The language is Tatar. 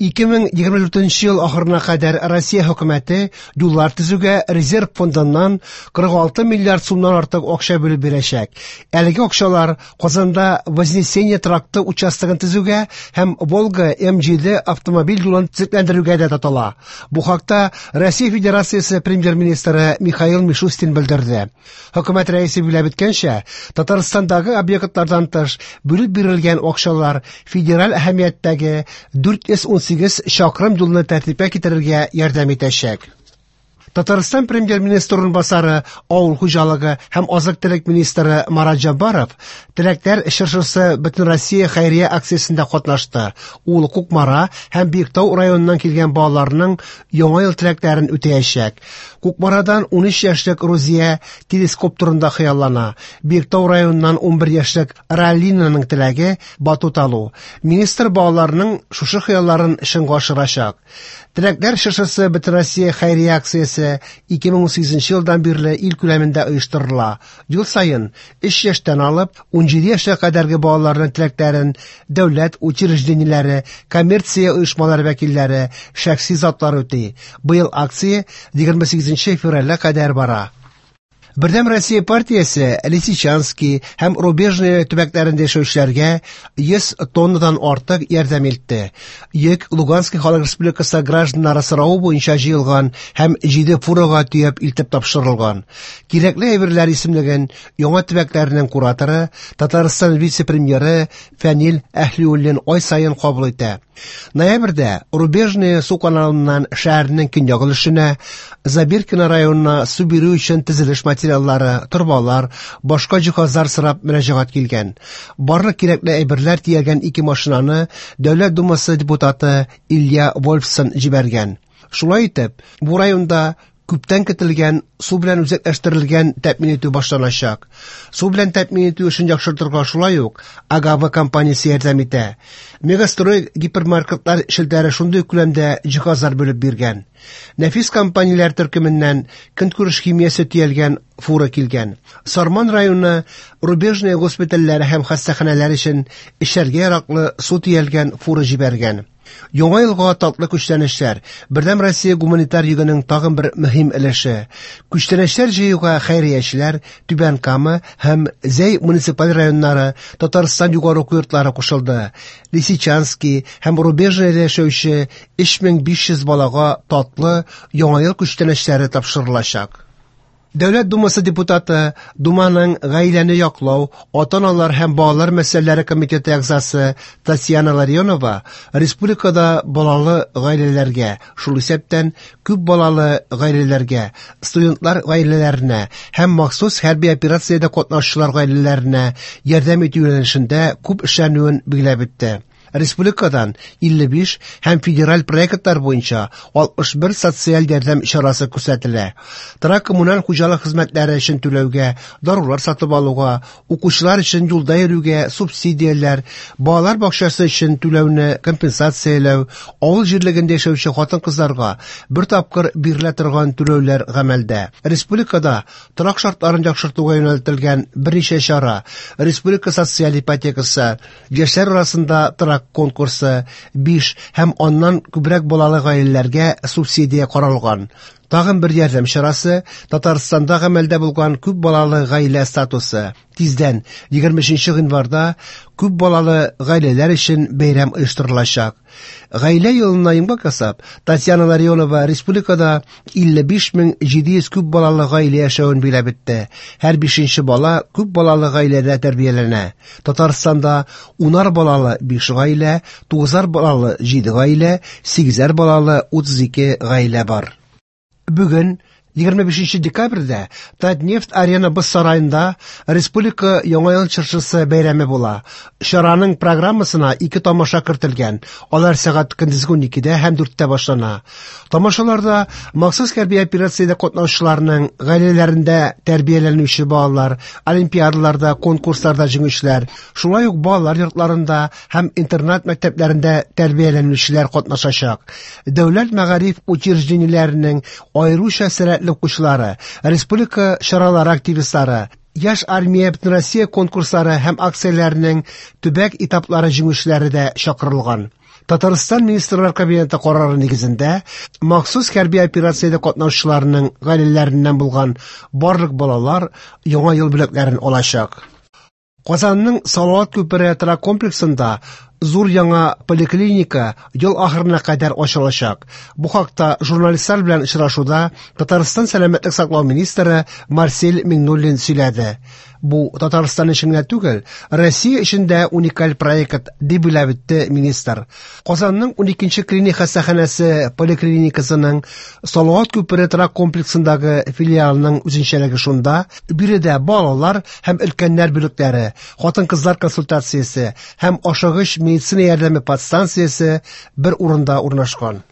2024 ел ахырына кадәр Россия хөкүмәте юллар төзүгә резерв фондыннан 46 миллиард сумнан артык акча бүлеп бирәчәк. Әлеге акчалар Казанда Вознесение тракты участогын төзүгә һәм Волга М7 автомобиль юлын төзекләндерүгә дә тотыла. Бу хакта Россия Федерациясе премьер-министры Михаил Мишустин белдерде. Хөкүмәт рәисе билгеләп үткәнчә, Татарстандагы объектлардан тыш бүлеп бирелгән акчалар федераль әһәмияттәге 418 чакрым юлны тәртипкә китерергә ярдәм итәчәк. Татарстан премьер-министры урынбасары, авыл хуҗалыгы һәм азык-төлек министры Марат Җаббаров Теләкләр чыршысы Бөтенроссия хәйрия акциясендә катнашты. Ул Кукмара һәм Биектау районыннан килгән балаларның Яңа ел теләкләрен үтәячәк. Кукмарадан 13 яшьлек Рузия телескоп турында хыяллана. Биектау районыннан 11 яшьлек Ралинаның теләге батут алу. Министр балаларның шушы хыялларын чынга ашырачак. Теләкләр чыршысы Бөтенроссия хәйрия акциясе 2018 елдан бирле ил күләмендә оештырыла. Ел саен 3 яшьтән алып 17 яшькә кадәрге балаларның теләкләрен дәүләт учреждениеләре, коммерция оешмалары вәкилләре, шәхси затлар үти. Быел акция 28 февральгә кадәр бара. Бердәм Россия партиясе Лисичанский һәм Рубежное төбәкләрендә яшәүчеләргә 100 тоннадан артык ярдәм илтте. Йөк Луганский Халык Республикасы гражданнары соравы буенча җыелган һәм 7 фурага төяп илтеп тапшырылган. Кирәкле әйберләр исемлеген яңа төбәкләрнең кураторы, Татарстан вице-премьеры Фәнил Әһлиуллин ай саен кабул итә. Ноябрьдә Рубежное су каналыннан шәһәрнең көньяк өлешенә, Забиркино районына су бирү өчен төзелеш материаллары, торбалар, башка җиһазлар сорап мөрәҗәгать килгән. Барлык кирәкле әйберләр төягән ике машинаны Дәүләт Думасы депутаты Илья Вольфсон җибәргән. Шулай итеп, бу районда күптән көтелгән су белән үзәкләштерелгән тәэмин итү башланачак. Су белән тәэмин итү эшен яхшыртырга шулай ук Агава компаниясе ярдәм итә. Мегастрой гипермаркетлар челтәре шундый күләмдә җиһазлар бүлеп биргән. Нәфис компанияләр төркеменнән көнкүреш химиясе төялгән фура килгән. Сарман районы Рубежное госпитальләре һәм хастаханәләр өчен эчәргә яраклы су төялгән фура җибәргән. Яңа елга татлы күчтәнәчләр Бердәм Россия гуманитар йөгенең тагын бер мөһим өлеше. Күчтәнәчләр җыюга хәйриячеләр Түбән Кама һәм Зәй муниципаль районнары, Татарстан югары уку йортлары кушылды. Лисичанский һәм Рубежныйда яшәүче 3500 балага татлы Яңа ел күчтәнәчләре тапшырылачак. Дәүләт Думасы депутаты, Думаның гаиләне яклау, ата-аналар һәм балалар мәсьәләләре комитеты әгъзасы Татьяна Ларионова республикада балалы гаиләләргә, шул исәптән күп балалы гаиләләргә, студентлар гаиләләренә һәм махсус хәрби операциядә катнашучылар гаиләләренә ярдәм итү юнәлешендә күп эшләнүен билгеләп үтте. Республикадан 55 һәм федераль проектлар буенча 61 социаль ярдәм чарасы күрсәтелә. Торак коммуналь хуҗалык хезмәтләре өчен түләүгә, дарулар сатып алуга, укучылар өчен юлда йөрүгә субсидияләр, балалар бакчасы өчен түләүне компенсацияләү, авыл җирлегендә яшәүче хатын-кызларга бер тапкыр бирелә торган түләүләр гамәлдә. Республикада торак шартларын яхшыртуга юнәлтелгән берничә чара, республика социаль ипотекасы, Яшьләр арасында торак конкурсы, 5 һәм аннан күбрәк балалы гаиләләргә субсидия каралган. Тагын бер ярдәм чарасы Татарстанда гамәлдә булган күп балалы гаилә статусы. Тиздән, 23 гыйнварда, күп балалы гаиләләр өчен бәйрәм оештырылачак. Гаилә елына йомгак ясап, Татьяна Ларионова республикада 55 700 күп балалы гаилә яшәвен билгеләп үтте. Һәр бишенче бала күп балалы гаиләдә тәрбияләнә. Татарстанда унар балалы 5 гаилә, тугызар балалы 7 гаилә, сигезәр балалы 32 гаилә бар. Бүген 25 декабрьдә Татнефть Арена боз сараенда Республика Яңа ел чыршысы бәйрәме була. Чараның программасына ике тамаша кертелгән. Алар сәгать көндезге 12-дә һәм 4-тә башлана. Тамашаларда махсус хәрби операциядә катнашучыларның гаиләләрендә тәрбияләнүче балалар, олимпиадаларда, конкурсларда җиңүчеләр, шулай ук балалар йортларында һәм интернат мәктәпләрендә тәрбияләнүчеләр катнашачак. Дәүләт мәгариф учреждениеләренең аеруча сәләтле укучылары, республика чаралары активистлары, Яшь армия Бөтенроссия конкурслары һәм акцияләренең төбәк этаплары җиңүчеләре дә чакырылган. Татарстан Министрлар Кабинеты карары нигезендә, махсус хәрби операциядә катнашучыларның гаиләләреннән булган барлык балалар Яңа ел бүләкләрен алачак. Казанның Салават күпере торак комплексында зур яңа поликлиника ел ахырына кадәр ачылачак. Бу хакта журналистлар белән очрашуда Татарстан сәламәтлек саклау министры Марсель Миңнуллин сөйләде. Бу Татарстан өчен генә түгел, Россия өчен дә уникаль проект, дип билгеләп үтте министр. Казанның 12нче клиник хастаханәсе поликлиникасының Салават күпере торак комплексындагы филиалының үзенчәлеге шунда, биредә балалар һәм өлкәннәр бүлекләре, хатын-кызлар консультациясе һәм ашыгыч медицина ярдәме подстанциясе бер урында урнашкан.